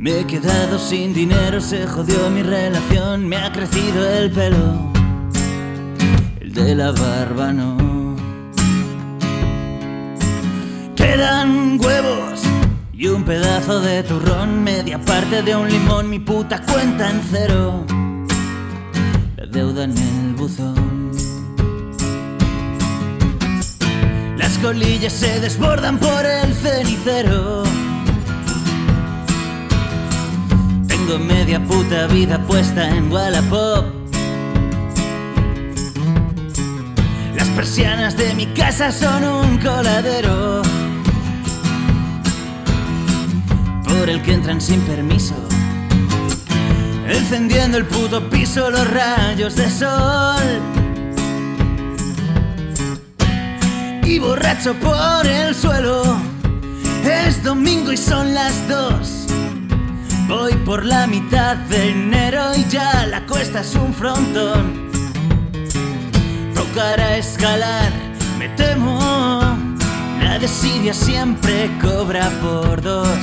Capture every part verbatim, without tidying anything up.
Me he quedado sin dinero, se jodió mi relación, me ha crecido el pelo, el de la barba no. Quedan huevos y un pedazo de turrón, media parte de un limón, mi puta cuenta en cero, la deuda en el buzón. Las colillas se desbordan por el cenicero. Tengo media puta vida puesta en Wallapop. Las persianas de mi casa son un coladero por el que entran sin permiso, encendiendo el puto piso los rayos de sol. Y borracho por el suelo, es domingo y son las dos. Voy por la mitad de enero y ya la cuesta es un frontón. Tocará escalar, me temo, la desidia siempre cobra por dos.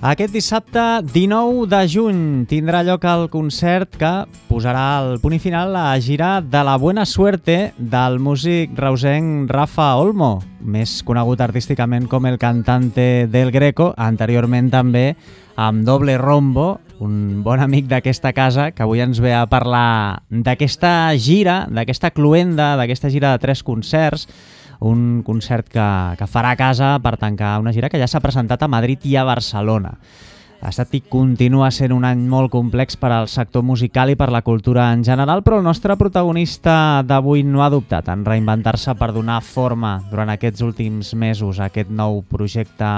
Aquest dissabte, dinou de juny, tindrà lloc el concert que posarà el punt i final a la gira de la Buena Suerte del músic reusenc Rafa Olmo, més conegut artísticament com el cantante del Greco, anteriorment també amb Doble Rombo, un bon amic d'aquesta casa que avui ens ve a parlar d'aquesta gira, d'aquesta cluenda, d'aquesta gira de tres concerts, un concert que, que farà a casa per tancar una gira que ja s'ha presentat a Madrid i a Barcelona. Ha estat i continua sent un any molt complex per al sector musical i per la cultura en general, però el nostre protagonista d'avui no ha dubtat en reinventar-se per donar forma durant aquests últims mesos a aquest nou projecte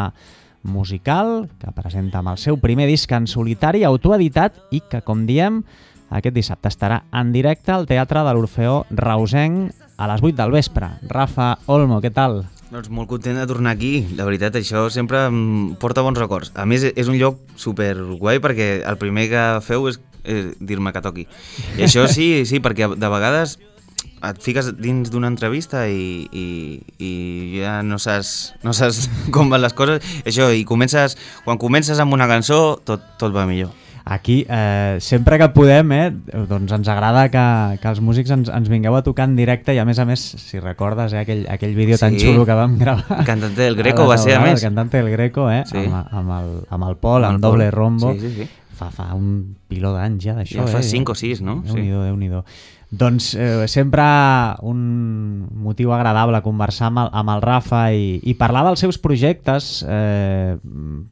musical que presenta amb el seu primer disc en solitari, autoeditat i que, com diem, aquest dissabte estarà en directe al Teatre de l'Orfeó reusenc a les vuit del vespre. Rafa Olmo, què tal? Doncs molt content de tornar aquí, la veritat, això sempre em porta bons records. A més, és un lloc super guai perquè el primer que feu és, és dir-me que toqui. I això sí, sí, perquè de vegades et fiques dins d'una entrevista i, i, i ja no saps, no saps com van les coses. Això, i comences, quan comences amb una cançó, tot, tot va millor. Aquí, eh, sempre que podem, eh, doncs ens agrada que, que els músics ens, ens vingueu a tocar en directe i a més a més, si recordes, eh, aquell, aquell vídeo sí, tan xulo que vam gravar. Cantante del Greco va ser, a més. Cantante del Greco, eh, sí. amb, amb, el, amb el Pol, amb, amb Doble Rombo. Sí, sí, sí. Fa, fa un piló d'anys ja d'això. Ja fa eh? cinc o sis, no? Déu-n'hi-do, sí. Déu-n'hi-do. Doncs eh, sempre un motiu agradable conversar amb el, amb el Rafa i, i parlar dels seus projectes, eh,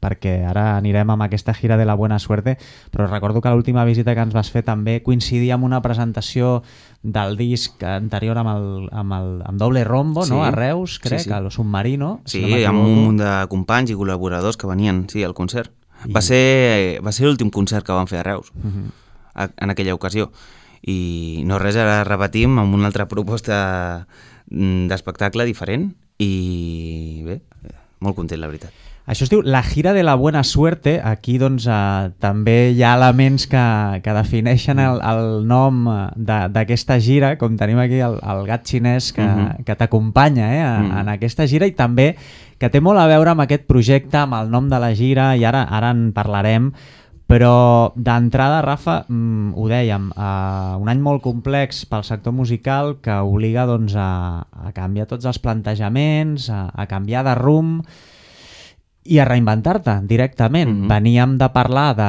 perquè ara anirem amb aquesta gira de la Buena Suerte, però recordo que l'última visita que ens vas fer també coincidia amb una presentació del disc anterior amb, el, amb, el, amb Doble Rombo, sí, no? A Reus, crec, sí, sí. A lo Submarino. Sí, si no amb un munt de companys i col·laboradors que venien, sí, al concert. I... Va ser, va ser l'últim concert que van fer a Reus, uh-huh. a, en aquella ocasió. I no res, ara repetim amb una altra proposta d'espectacle diferent i bé, molt content, la veritat. Això es diu La gira de la Buena Suerte. Aquí doncs eh, també hi ha elements que, que defineixen el, el nom d'aquesta gira, com tenim aquí el, el gat xinès que, uh-huh. que t'acompanya eh, a, uh-huh. en aquesta gira i també que té molt a veure amb aquest projecte, amb el nom de la gira i ara, ara en parlarem. Però d'entrada, Rafa, mm, ho dèiem, eh, un any molt complex pel sector musical que obliga doncs, a, a canviar tots els plantejaments, a, a canviar de rumb i a reinventar-te directament. Mm-hmm. Veníem de parlar de,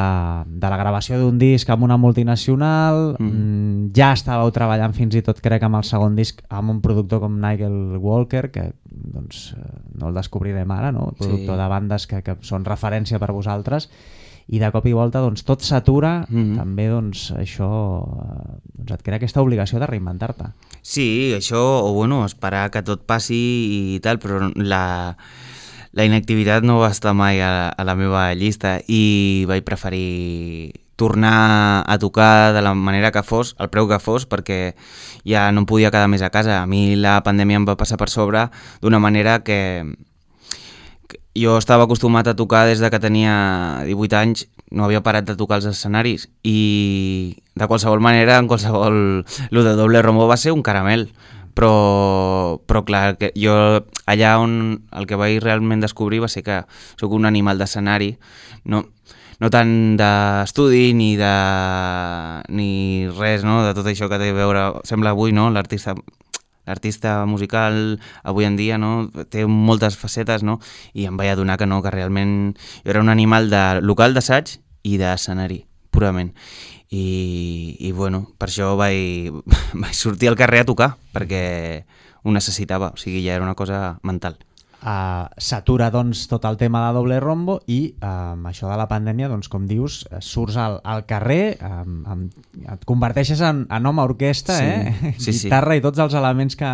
de la gravació d'un disc amb una multinacional, mm-hmm. ja estàveu treballant fins i tot, crec, amb el segon disc amb un productor com Nigel Walker, que doncs, no el descobrirem ara, no? Productor sí. de bandes que, que són referència per vosaltres. I de cop i volta doncs, tot s'atura, mm-hmm. també doncs, això doncs, et crea aquesta obligació de reinventar-te. Sí, això, o bueno, esperar que tot passi i tal, però la, la inactivitat no va estar mai a, a la meva llista i vaig preferir tornar a tocar de la manera que fos, al preu que fos, perquè ja no em podia quedar més a casa. A mi la pandèmia em va passar per sobre d'una manera que... Jo estava acostumat a tocar des de que tenia divuit anys, no havia parat de tocar els escenaris i de qualsevol manera, en qualsevol... Lo de Doble Rombo va ser un caramel, però, però clar, que jo allà on el que vaig realment descobrir va ser que sóc un animal d'escenari, no, no tant d'estudi ni de ni res, no? De tot això que té a veure, sembla avui, no? L'artista l'artista musical avui en dia, no? Té moltes facetes, no? I em vaig adonar que no, que realment jo era un animal de local d'assaig i d'escenari, purament. I, i bueno, per això vaig, vaig sortir al carrer a tocar, perquè ho necessitava, o sigui, ja era una cosa mental. Uh, s'atura doncs tot el tema de Doble Rombo i uh, amb això de la pandèmia, doncs com dius, surts al, al carrer, um, um, et converteixes en, en home orquestra, sí, eh? sí, guitarra sí. I tots els elements que,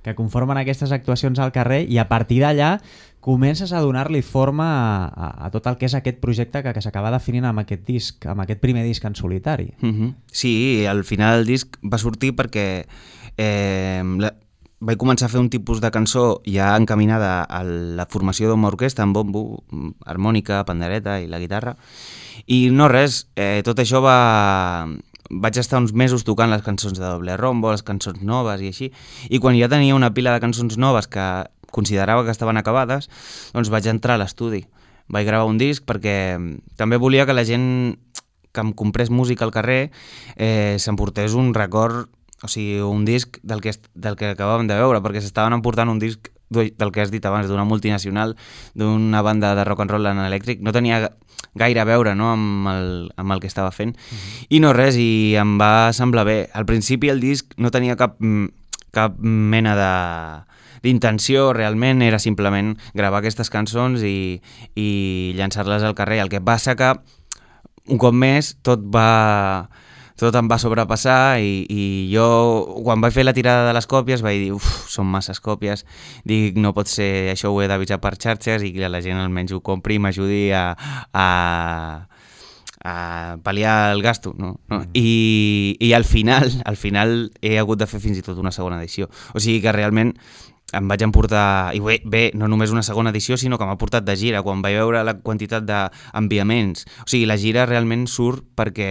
que conformen aquestes actuacions al carrer, i a partir d'allà comences a donar-li forma a, a, a tot el que és aquest projecte que, que s'acaba definint amb aquest disc, amb aquest primer disc en solitari. Mm-hmm. Sí, al final el disc va sortir perquè eh, la, vaig començar a fer un tipus de cançó ja encaminada a la formació d'una orquestra amb bombo, harmònica, pandereta i la guitarra, i no res, eh, tot això va... vaig estar uns mesos tocant les cançons de Doble Rombo, les cançons noves i així, i quan ja tenia una pila de cançons noves que considerava que estaven acabades, doncs vaig entrar a l'estudi. Vaig gravar un disc perquè també volia que la gent que em comprés música al carrer eh, s'emportés un record, o sigui, un disc del que, del que acabàvem de veure, perquè s'estaven emportant un disc del que has dit abans, d'una multinacional, d'una banda de rock and roll en elèctric, no tenia gaire a veure, no?, amb, el, amb el que estava fent. Mm-hmm. I no res, i em va semblar bé. Al principi el disc no tenia cap, cap mena de d'intenció, realment era simplement gravar aquestes cançons i, i llançar-les al carrer. El que passa que un cop més tot va... tot em va sobrepassar i, i jo, quan vaig fer la tirada de les còpies, vaig dir, uf, són masses còpies, dic, no pot ser, això ho he d'avisar per xarxes i que la gent almenys ho compri i m'ajudi a, a, a pal·liar el gasto, no? no? I, i al final, al final he hagut de fer fins i tot una segona edició. O sigui que realment em vaig emportar, i bé, bé, no només una segona edició, sinó que m'ha portat de gira, quan vaig veure la quantitat d'enviaments. O sigui, la gira realment surt perquè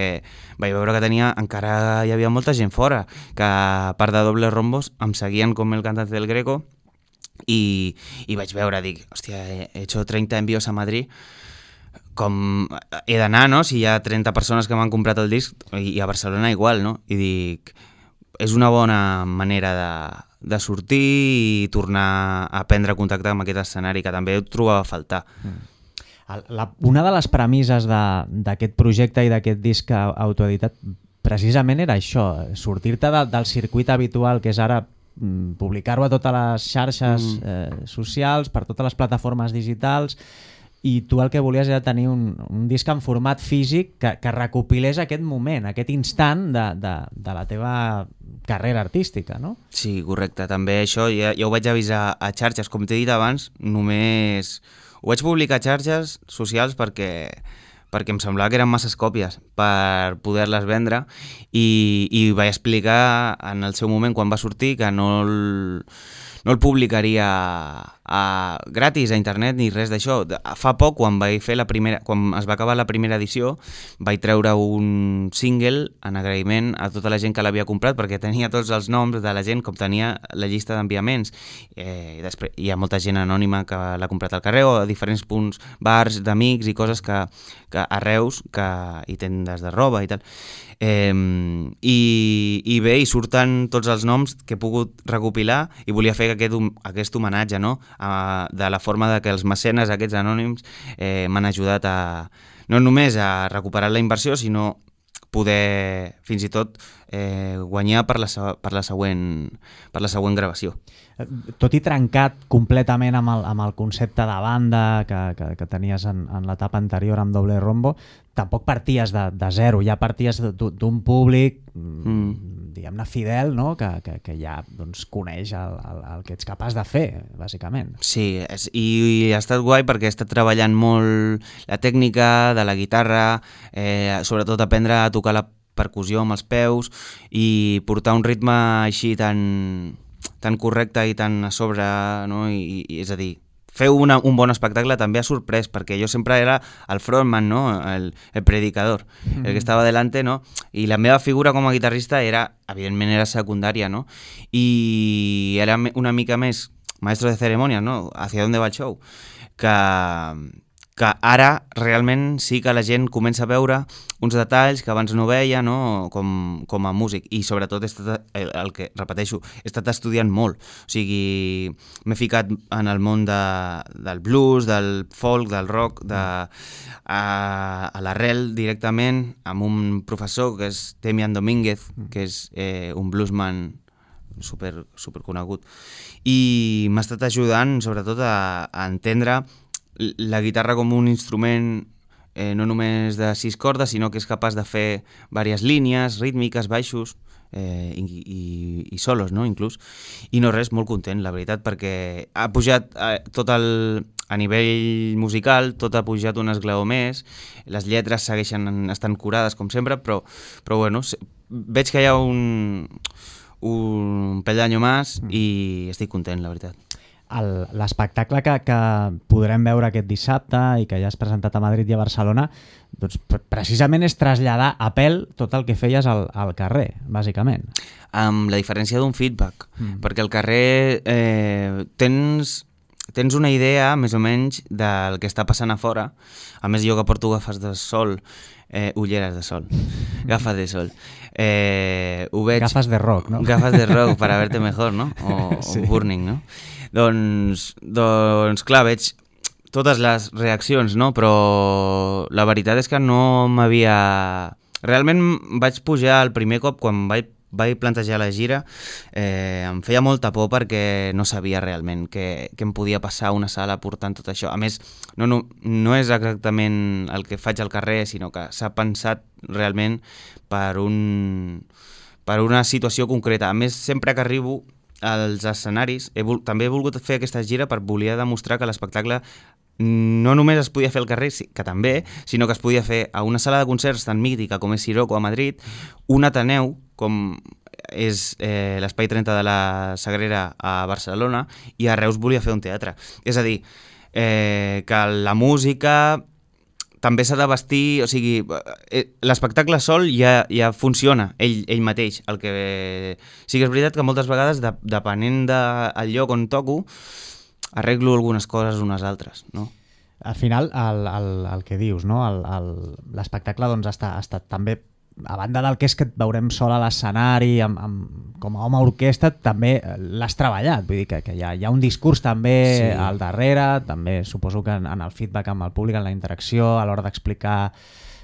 vaig veure que tenia, encara hi havia molta gent fora, que a part de Doble Rombos em seguien com el cantante del Greco, i, i vaig veure, dic, hòstia, he hecho treinta envíos a Madrid, com he d'anar, no?, si hi ha trenta persones que m'han comprat el disc, i a Barcelona igual, no? I dic, és una bona manera de de sortir i tornar a prendre contacte amb aquest escenari, que també ho trobava a faltar. Mm. La, una de les premisses d'aquest projecte i d'aquest disc autoeditat precisament era això, sortir-te de, del circuit habitual que és ara mm, publicar-ho a totes les xarxes mm. eh, socials, per totes les plataformes digitals, i tu el que volies era tenir un, un disc en format físic que, que recopilés aquest moment, aquest instant de, de, de la teva carrera artística, no? Sí, correcte. També això ja, ja ho vaig avisar a xarxes, com t'he dit abans, només ho vaig publicar a xarxes socials perquè, perquè em semblava que eren masses còpies per poder-les vendre, i, i vaig explicar en el seu moment, quan va sortir, que no el, no el publicaria a, gratis a internet ni res d'això. Fa poc, quan vaig fer la primera, quan es va acabar la primera edició, vaig treure un single en agraïment a tota la gent que l'havia comprat, perquè tenia tots els noms de la gent, com tenia la llista d'enviaments. Eh, després hi ha molta gent anònima que l'ha comprat al carrer, o a diferents punts, bars d'amics i coses que, que a Reus, que hi tendes de roba i tal. Eh, i, i bé, hi surten tots els noms que he pogut recopilar, i volia fer aquest, aquest homenatge, no?, a, de la forma de que els mecenes, aquests anònims, eh, m'han ajudat a no només a recuperar la inversió, sinó poder fins i tot eh, guanyar per la, per, la següent, per la següent gravació. Tot i trencat completament amb el, amb el concepte de banda que, que, que tenies en, en l'etapa anterior amb Doble Rombo, tampoc parties de, de zero, ja parties d'un públic mm. diguem-ne fidel, no?, que, que, que ja doncs, coneix el, el, el que ets capaç de fer, bàsicament. Sí, és, i, i ha estat guai perquè he estat treballant molt la tècnica de la guitarra, eh, sobretot aprendre a tocar la percussió amb els peus i portar un ritme així tan... tan correcte i tan a sobre, no? I, i és a dir, fer una, un bon espectacle també ha sorprès, perquè jo sempre era el frontman, no? el, el predicador, mm. el que estava delante, no? I la meva figura com a guitarrista era, evidentment era secundària, no? I era una mica més maestro de cerimònies, no? Hacia dónde va el show? Que, que ara realment sí que la gent comença a veure uns detalls que abans no veia, no? Com, com a músic, i sobretot he estat, el, el que repeteixo, he estat estudiant molt, o sigui, m'he ficat en el món de, del blues, del folk, del rock, de, a, a l'arrel directament, amb un professor que és Demian Domínguez, que és eh, un bluesman super, super conegut, i m'ha estat ajudant sobretot a, a entendre la guitarra com un instrument eh, no només de sis cordes, sinó que és capaç de fer diverses línies, rítmiques, baixos eh, i, i, i solos, no? Inclús. I no res, molt content, la veritat, perquè ha pujat eh, tot el... a nivell musical, tot ha pujat un esglaó més, les lletres segueixen estant curades com sempre, però, però bueno, veig que hi ha un, un peldaño més i estic content, la veritat. L'espectacle que, que podrem veure aquest dissabte i que ja has presentat a Madrid i a Barcelona, doncs precisament és traslladar a pèl tot el que feies al, al carrer, bàsicament. Amb la diferència d'un feedback, mm. perquè al carrer eh, tens, tens una idea més o menys del que està passant a fora. A més, jo que porto gafes de sol, eh, ulleres de sol, gafes de sol, eh, ho veig... Gafes de rock, no? Gafes de rock, para verte mejor, no? O, sí. o burning, no? Doncs, doncs, clar, veig totes les reaccions, no? Però la veritat és que no m'havia... Realment vaig pujar el primer cop quan vaig, vaig plantejar la gira, eh, em feia molta por perquè no sabia realment què, què em podia passar a una sala portant tot això. A més, no, no, no és exactament el que faig al carrer, sinó que s'ha pensat realment per, un, per una situació concreta. A més, sempre que arribo als escenaris, he vol, també he volgut fer aquesta gira per voler demostrar que l'espectacle no només es podia fer al carrer, que també, sinó que es podia fer a una sala de concerts tan mítica com és Siroco a Madrid, un Ateneu, com és eh, l'Espai trenta de la Sagrera a Barcelona, i a Reus volia fer un teatre. És a dir, eh, que la música també s'ha de vestir, o sigui, l'espectacle sol ja, ja funciona, ell, ell mateix. El que... Sí que és veritat que moltes vegades, de, depenent del lloc on toco, arreglo algunes coses unes altres, no? Al final, el, el, el que dius, no? L'espectacle doncs, ha, estat, ha estat també, a banda del que és que et veurem sol a l'escenari, amb, amb, com a home orquestra, també l'has treballat. Vull dir que, que hi, ha, hi ha un discurs també sí. al darrere, també suposo que en, en el feedback amb el públic, en la interacció, a l'hora d'explicar,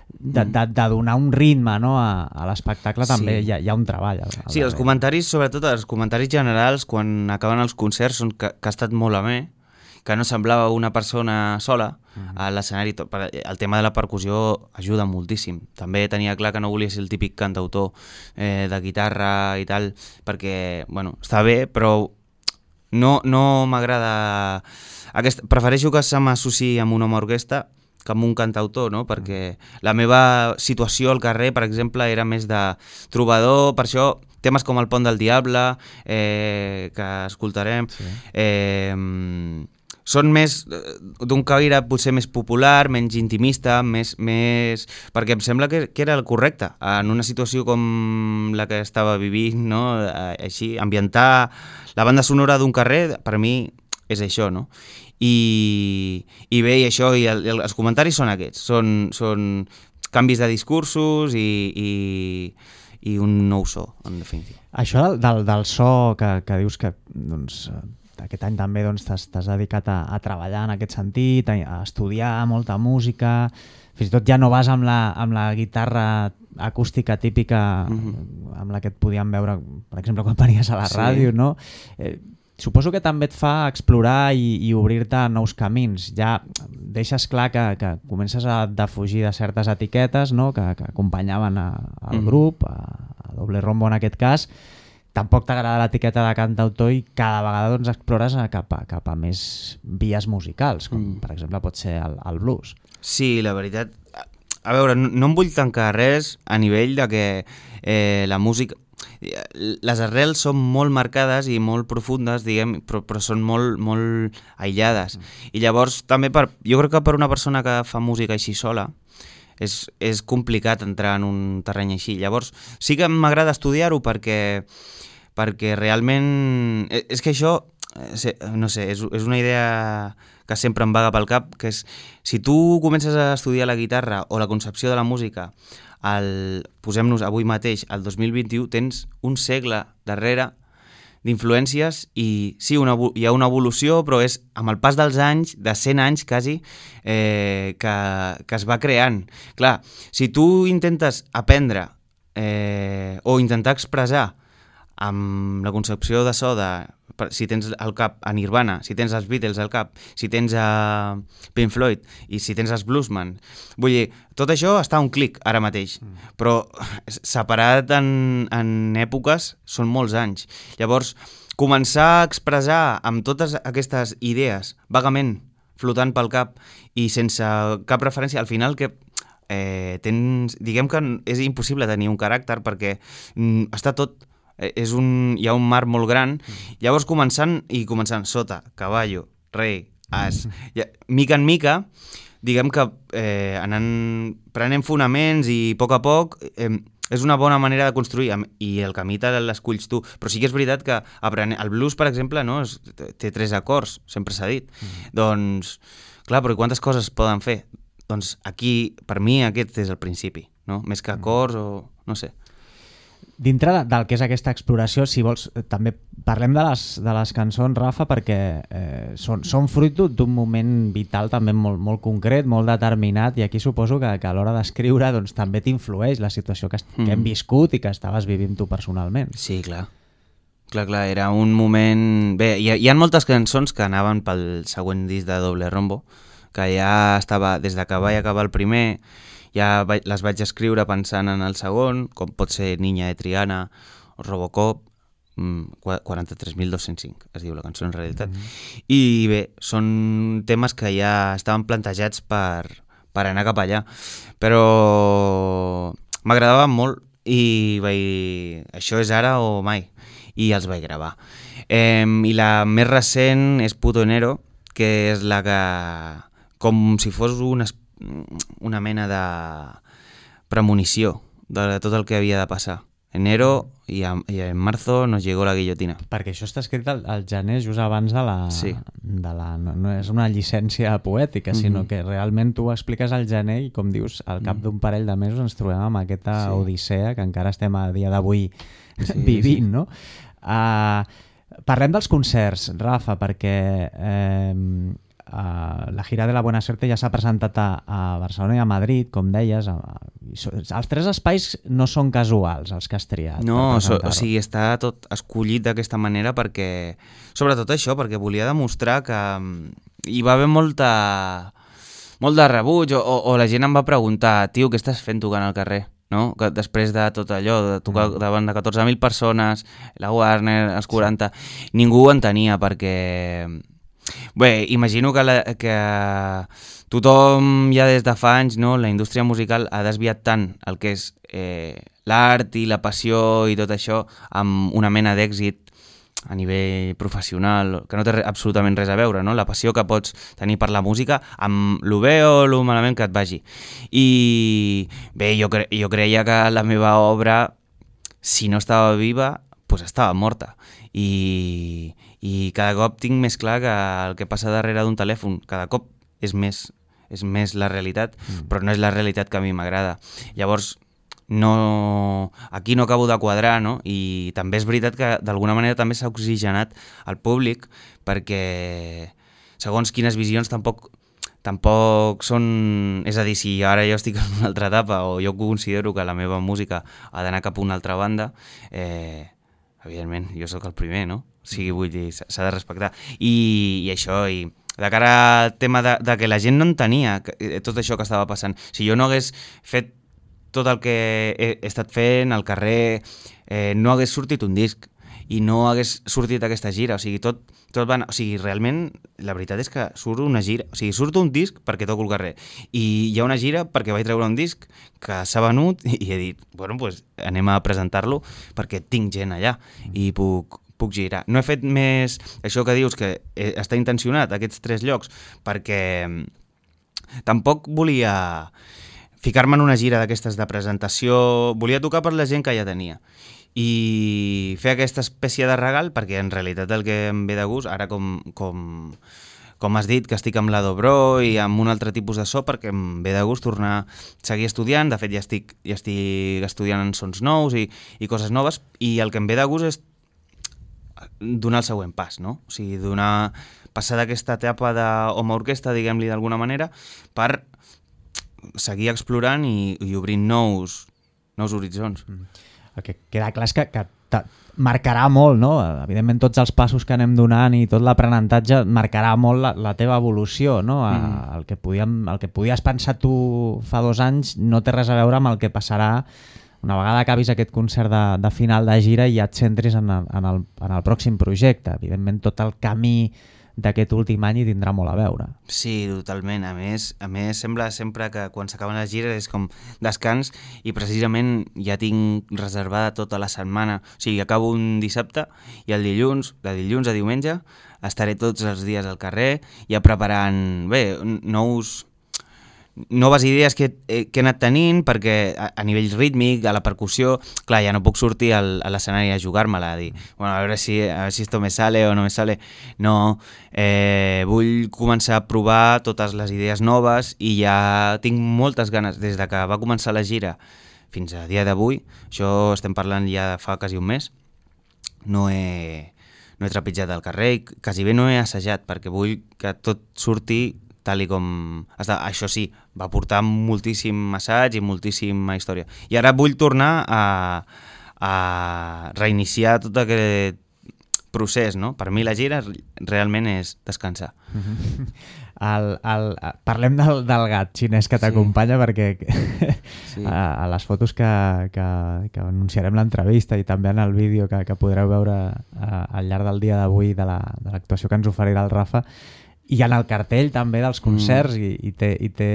de, de, de donar un ritme, no, a, a l'espectacle, sí. també hi ha, hi ha un treball. Al, al sí, els comentaris, sobretot els comentaris generals, quan acaben els concerts, són que, que ha estat molt amè, que no semblava una persona sola a l'escenari. El tema de la percussió ajuda moltíssim. També tenia clar que no volia ser el típic cantautor eh, de guitarra i tal, perquè, bueno, està bé, però no, no m'agrada... Aquest... Prefereixo que se m'associï amb un home orquestra que amb un cantautor, no? Perquè la meva situació al carrer, per exemple, era més de trobador, per això temes com el Pont del Diable, eh, que escoltarem, sí. eh, són més d'un caire potser més popular, menys intimista, més, més... perquè em sembla que, que era el correcte en una situació com la que estava vivint, no? Així, ambientar la banda sonora d'un carrer, per mi és això, no? I, i bé, i això, i el, els comentaris són aquests, són, són canvis de discursos i, i, i un nou so, en definitiva. Això del, del, del so que, que dius que doncs, aquest any també doncs, t'has dedicat a, a treballar en aquest sentit, a, a estudiar molta música, fins i tot ja no vas amb la, amb la guitarra acústica típica mm-hmm. amb la que et podíem veure, per exemple, quan venies a la sí. ràdio, no? Eh, suposo que també et fa explorar i, i obrir-te a nous camins. Ja deixes clar que, que comences a defugir de certes etiquetes, no? que, que acompanyaven a, al mm. grup, a, a Doble Rombo en aquest cas. Tampoc t'agrada l'etiqueta de cantautor i cada vegada doncs, explores cap a, cap a més vies musicals, com mm. per exemple pot ser el, el blues. Sí, la veritat, a veure, no, no em vull tancar res a nivell de que eh, la música... Les arrels són molt marcades i molt profundes, diguem, però, però són molt, molt aïllades. Mm. I llavors, també, per, jo crec que per una persona que fa música així sola, és, és complicat entrar en un terreny així. Llavors, sí que m'agrada estudiar-ho perquè, perquè realment... És que això, no sé, és, és una idea que sempre em vaga pel cap, que és, si tu comences a estudiar la guitarra o la concepció de la música, el, posem-nos avui mateix, al dos mil vint-i-u, tens un segle darrere d'influències i sí, una, hi ha una evolució, però és amb el pas dels anys, de cent anys quasi, eh, que, que es va creant. Clar, si tu intentes aprendre eh, o intentar expressar amb la concepció de so de, si tens al cap a Nirvana, si tens els Beatles al cap, si tens a Pink Floyd i si tens els Bluesman, vull dir, tot això està a un clic ara mateix, mm. però separat en, en èpoques són molts anys. Llavors, començar a expressar amb totes aquestes idees vagament flotant pel cap i sense cap referència, al final que eh, tens, diguem que és impossible tenir un caràcter perquè mm, està tot és un, hi ha un mar molt gran, llavors començant i començant sota, cavallo, rei, as, ja, mica en mica, diguem que eh, anant, prenent fonaments i a poc a poc eh, és una bona manera de construir i el camí te l'esculls tu, però sí que és veritat que aprenent, el blues, per exemple, no, és, té tres acords, sempre s'ha dit, mm. doncs, clar, però quantes coses poden fer? Doncs aquí, per mi, aquest és el principi, no? Més que acords o no sé. Dintre del que és aquesta exploració, si vols, també parlem de les, de les cançons, Rafa, perquè eh, són, són fruit d'un moment vital també molt, molt concret, molt determinat, i aquí suposo que, que a l'hora d'escriure doncs, també t'influeix la situació que, mm. que hem viscut i que estaves vivint tu personalment. Sí, clar. Clar, clar, era un moment... Bé, hi ha, hi ha moltes cançons que anaven pel següent disc de Doble Rombo, que ja estava, des de que vaig acabar el primer... ja les vaig escriure pensant en el segon, com pot ser Niña de Triana o Robocop, quaranta-tres mil dos-cents cinc es diu la cançó en realitat. Mm-hmm. I bé, són temes que ja estaven plantejats per, per anar cap allà, però m'agradaven molt i vaig... això és ara o mai, i els vaig gravar. Eh, I la més recent és Puto Enero, que és la que, com si fos una una mena de premonició de tot el que havia de passar. Enero i, a, i en marzo nos llegó la guillotina. Perquè això està escrit al, al gener just abans de la... Sí. De la no, no és una llicència poètica, mm-hmm. sinó que realment tu ho expliques al gener i, com dius, al cap d'un parell de mesos ens trobem amb aquesta sí. odissea que encara estem a dia d'avui sí, vivint, sí. no? Uh, parlem dels concerts, Rafa, perquè... Eh, Uh, la gira de la Buena Suerte ja s'ha presentat a, a Barcelona i a Madrid, com deies. A, a, els tres espais no són casuals, els que has triat. No, so, o sigui, està tot escollit d'aquesta manera perquè, sobretot això, perquè volia demostrar que hi va haver molta, molt de rebuig, o, o la gent em va preguntar, tio, què estàs fent tocant al carrer? No? Que després de tot allò, de tocar davant de catorze mil persones, la Warner, els quaranta, sí. ningú ho entenia perquè... Bé, imagino que, la, que tothom ja des de fa anys, no, la indústria musical ha desviat tant el que és eh, l'art i la passió i tot això amb una mena d'èxit a nivell professional, que no té absolutament res a veure, no? La passió que pots tenir per la música amb lo bé o lo malament que et vagi. I bé, jo, cre jo creia que la meva obra, si no estava viva, pues estava morta. I, i cada cop tinc més clar que el que passa darrere d'un telèfon cada cop és més, és més la realitat, mm. però no és la realitat que a mi m'agrada. Llavors, no, aquí no acabo de quadrar, no? I també és veritat que d'alguna manera també s'ha oxigenat el públic perquè segons quines visions tampoc, tampoc són... És a dir, si ara jo estic en una altra etapa o jo considero que la meva música ha d'anar cap a una altra banda, eh, evidentment, jo sóc el primer, no? O sigui, vull dir, s'ha de respectar. I, i això, i de cara al tema de, de que la gent no entenia que, tot això que estava passant. Si jo no hagués fet tot el que he, he estat fent al carrer, eh, no hagués sortit un disc. i no hagués sortit aquesta gira, o sigui, tot, tot va anar, o sigui, realment, la veritat és que surt una gira, o sigui, surt un disc perquè toco el carrer, i hi ha una gira perquè vaig treure un disc que s'ha venut i he dit, bueno, doncs anem a presentar-lo perquè tinc gent allà i puc, puc girar. No he fet més, això que dius, que està intencionat, aquests tres llocs, perquè tampoc volia ficar-me en una gira d'aquestes de presentació, volia tocar per la gent que ja tenia i fer aquesta espècie de regal, perquè en realitat el que em ve de gust, ara com, com, com has dit, que estic amb la Dobro i amb un altre tipus de so, perquè em ve de gust tornar a seguir estudiant, de fet ja estic, ja estic estudiant en sons nous i, i coses noves, i el que em ve de gust és donar el següent pas, no? O sigui, donar, passar d'aquesta etapa d'home orquestra, diguem-li d'alguna manera, per seguir explorant i, i obrint nous, nous horitzons. Mm. El que queda clar és que, que marcarà molt, no? Evidentment tots els passos que anem donant i tot l'aprenentatge marcarà molt la, la teva evolució, no? Mm. El, que podíem, el que podies pensar tu fa dos anys no té res a veure amb el que passarà una vegada acabis aquest concert de, de final de gira i ja et centris en el, en, el, en el pròxim projecte. Evidentment tot el camí d'aquest últim any hi tindrà molt a veure. Sí, totalment. A més, a més sembla sempre que quan s'acaben les gires és com descans i precisament ja tinc reservada tota la setmana. O sigui, acabo un dissabte i el dilluns, de dilluns a diumenge, estaré tots els dies al carrer ja preparant, bé, nous... noves idees que, eh, que he anat tenint, perquè a, a nivell rítmic, a la percussió, clar, ja no puc sortir al, a l'escenari a jugar-me-la, a dir, bueno, a veure si, a veure si esto me sale o no me sale. No, eh, vull començar a provar totes les idees noves i ja tinc moltes ganes, des de que va començar la gira fins a dia d'avui, això estem parlant ja fa quasi un mes, no he, no he trepitjat al carrer i quasi bé no he assajat, perquè vull que tot surti tal i com... Això sí, va portar moltíssim assaig i moltíssima història. I ara vull tornar a, a reiniciar tot aquest procés, no? Per mi la gira realment és descansar. El, el, parlem del, del gat xinès que t'acompanya, sí. Perquè sí. a, a les fotos que, que, que anunciarem l'entrevista i també en el vídeo que, que podreu veure a, al llarg del dia d'avui de l'actuació la, que ens oferirà el Rafa, i en el cartell també dels concerts mm. i, i, té, i, té,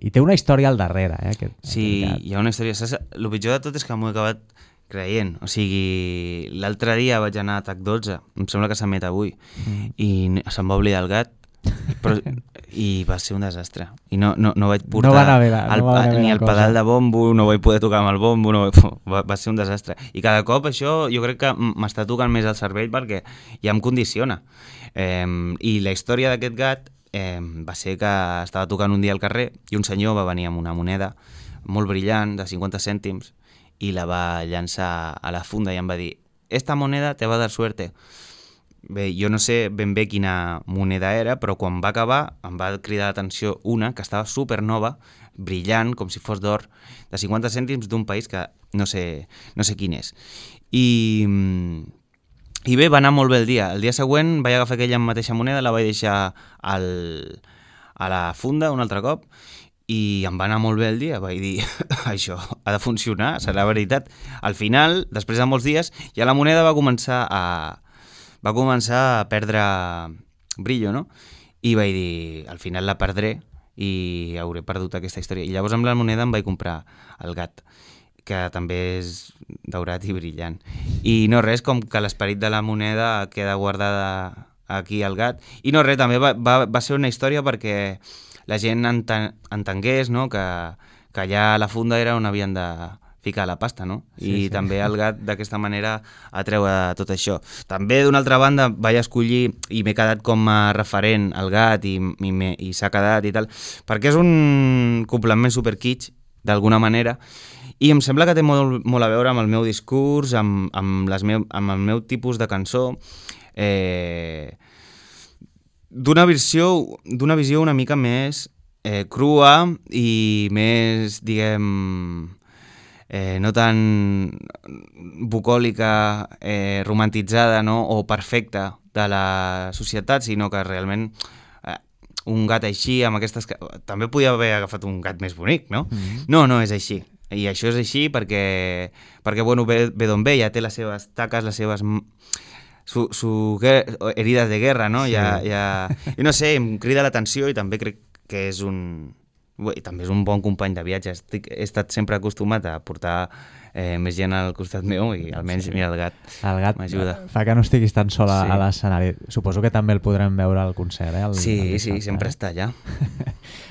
i té una història al darrere. Eh, aquest, sí, aquest hi ha una història. Saps? El pitjor de tot és que m'ho he acabat creient. O sigui, l'altre dia vaig anar a T A C dotze, em sembla que s'emet avui, mm. i se'm va oblidar el gat, però, i va ser un desastre. I no, no, no vaig portar no va haver, el, no va haver ni el pedal de bombo, no vaig poder tocar amb el bombo, no, va, va ser un desastre. I cada cop això jo crec que m'està tocant més el cervell perquè ja em condiciona. Eh, I la història d'aquest gat eh, va ser que estava tocant un dia al carrer i un senyor va venir amb una moneda molt brillant de cinquanta cèntims i la va llançar a la funda i em va dir: esta moneda te va dar suerte. Bé, jo no sé ben bé quina moneda era, però quan va acabar em va cridar l'atenció una que estava supernova, brillant, com si fos d'or, de cinquanta cèntims d'un país que no sé, no sé quin és. I... I bé, va anar molt bé el dia. El dia següent vaig agafar aquella mateixa moneda, la vaig deixar al, a la funda un altre cop i em va anar molt bé el dia. Vaig dir, això ha de funcionar, serà veritat. Al final, després de molts dies, ja la moneda va començar a, va començar a perdre brillo, no? I vaig dir, al final la perdré i hauré perdut aquesta història. I llavors amb la moneda em vaig comprar el gat, que també és daurat i brillant. I no res, com que l'esperit de la moneda queda guardada aquí al gat. I no res, també va, va, va ser una història perquè la gent enten, entengués, no? que, que allà a la funda era on havien de ficar la pasta, no? I sí, sí. També el gat d'aquesta manera atreu a tot això. També d'una altra banda vaig escollir i m'he quedat com a referent al gat i, i, i s'ha quedat i tal, perquè és un complement super kitsch d'alguna manera. I em sembla que té molt, molt a veure amb el meu discurs, amb, amb, les meu, amb el meu tipus de cançó, eh, d'una visió, d'una visió una mica més eh, crua i més, diguem, eh, no tan bucòlica, eh, romantitzada, no? O perfecta de la societat, sinó que realment eh, un gat així, amb aquestes... També podia haver agafat un gat més bonic, no? Mm-hmm. No, no és així. I això és així perquè, perquè bueno, ve, ve d'on ve, ja té les seves taques, les seves... Su, su herides de guerra, no? Sí. Ja, ja... I no sé, em crida l'atenció i també crec que és un... I també és un bon company de viatge. Estic, he estat sempre acostumat a portar eh, més gent al costat meu i almenys, sí. mira, el gat, el gat m'ajuda. Fa que no estiguis tan sol a, sí. a l'escenari. Suposo que també el podrem veure al concert, eh? El, sí, el sí, sempre eh? està allà.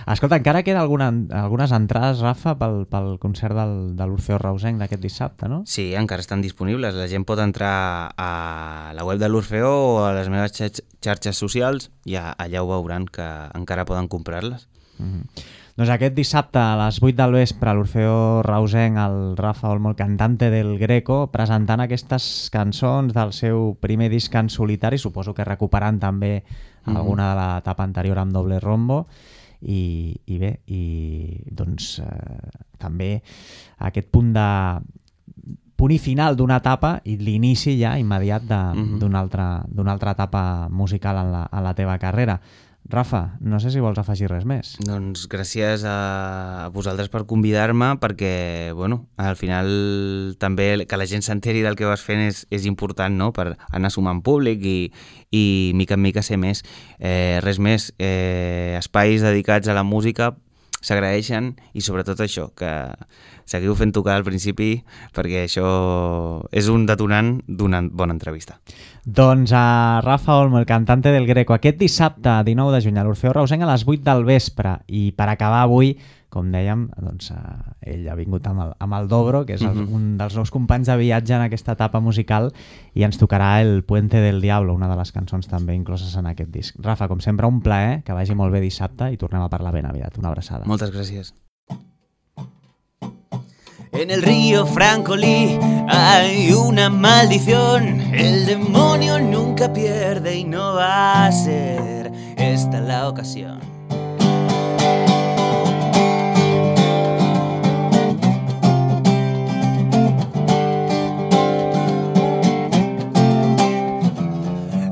Escolta, encara queda alguna, algunes entrades, Rafa, pel, pel concert del, de l'Orfeó Reusenc d'aquest dissabte, no? Sí, encara estan disponibles. La gent pot entrar a la web de l'Orfeó o a les meves xarxes socials i allà ho veuran, que encara poden comprar-les. Mm-hmm. Doncs aquest dissabte a les vuit del vespre a l'Orfeó Reusenc, el Rafa Olmo, el cantante del Greco, presentant aquestes cançons del seu primer disc en solitari, suposo que recuperant també mm-hmm. alguna de l'etapa anterior amb doble rombo. I, i bé, i doncs eh, també aquest punt de punt i final d'una etapa i l'inici ja immediat mm-hmm. d'una altra, d'una altra etapa musical en la, en la teva carrera. Rafa, no sé si vols afegir res més. Doncs gràcies a vosaltres per convidar-me, perquè, bueno, al final també que la gent s'enteri del que vas fent és, és important, no?, per anar sumant públic i, i mica en mica ser més. Eh, res més, eh, espais dedicats a la música s'agraeixen i sobretot això, que seguiu fent tocar al principi perquè això és un detonant d'una bona entrevista. Doncs a Rafa Olmo, el cantante del Greco, aquest dissabte dinou de juny a l'Orfeó Reusenc a les vuit del vespre. I per acabar avui, com dèiem, doncs, eh, ell ha vingut amb el, amb el Dobro, que és el, mm-hmm. un dels nous companys de viatge en aquesta etapa musical, i ens tocarà el Puente del Diablo, una de les cançons també incloses en aquest disc. Rafa, com sempre, un plaer, que vagi molt bé dissabte i tornem a parlar ben aviat. Una abraçada. Moltes gràcies. En el río Francolí hay una maldición, el demonio nunca pierde y no va a ser esta la ocasión.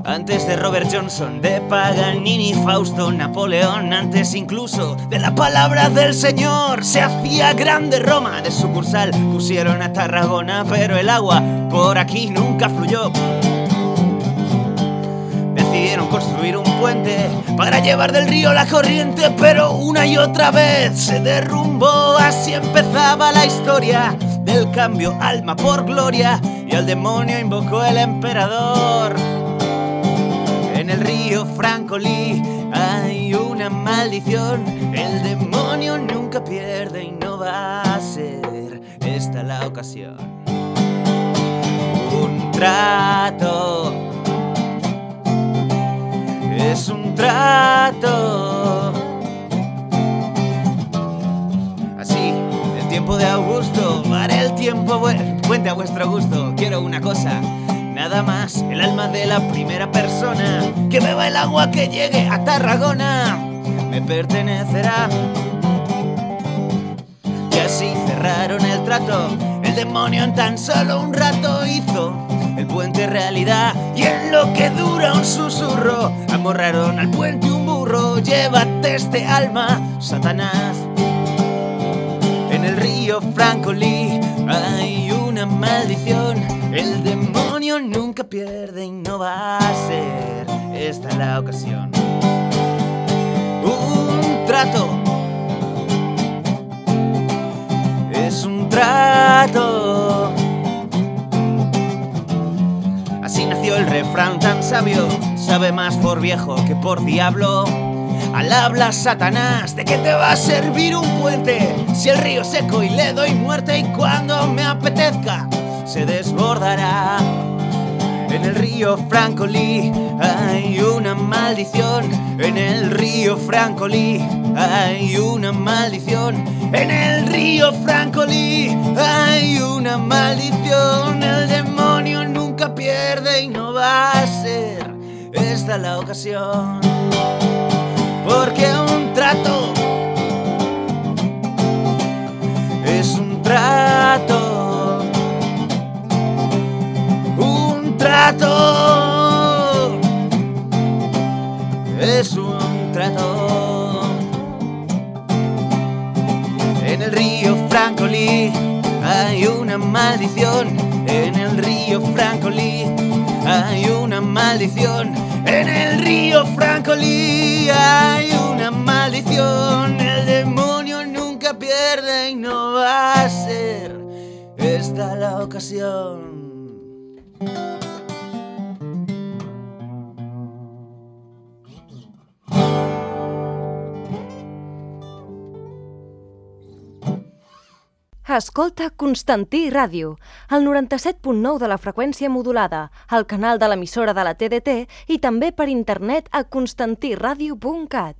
Antes de Robert Johnson, de Paganini, Fausto, Napoleón, antes incluso de la palabra del Señor, se hacía grande Roma. De sucursal pusieron a Tarragona, pero el agua por aquí nunca fluyó. Decidieron construir un puente para llevar del río la corriente, pero una y otra vez se derrumbó. Así empezaba la historia del cambio, alma por gloria, y al demonio invocó el emperador. En el río Francolí hay una maldición, el demonio nunca pierde y no va a ser esta la ocasión. Un trato, es un trato. Así, el tiempo de Augusto, haré el tiempo puente a vuestro gusto. Quiero una cosa, nada más, el alma de la primera persona que beba el agua que llegue a Tarragona me pertenecerá. Y así cerraron el trato, el demonio en tan solo un rato hizo el puente realidad. Y en lo que dura un susurro amorraron al puente un burro. Llévate este alma, Satanás. En el río Francolí hay una maldición, el demonio nunca pierde y no va a ser esta la ocasión. Un trato, es un trato. Así nació el refrán tan sabio, sabe más por viejo que por diablo. Al habla Satanás, ¿de qué te va a servir un puente si el río seco y le doy muerte y cuando me apetezca se desbordará? En el río Francolí hay una maldición, en el río Francolí hay una maldición, en el río Francolí hay una maldición, el demonio nunca pierde y no va a ser esta la ocasión. Porque un trato es un trato, un trato es un trato. En el río Francolí Francolí. Hay una maldición en el río Francolí. Hay una maldición en el río Francolí. Hay una maldición. El demonio nunca pierde y no va a ser esta la ocasión. Escolta Constantí Ràdio, al noranta-set punt nou de la freqüència modulada, al canal de l'emissora de la T D T i també per internet a constantí ràdio punt cat.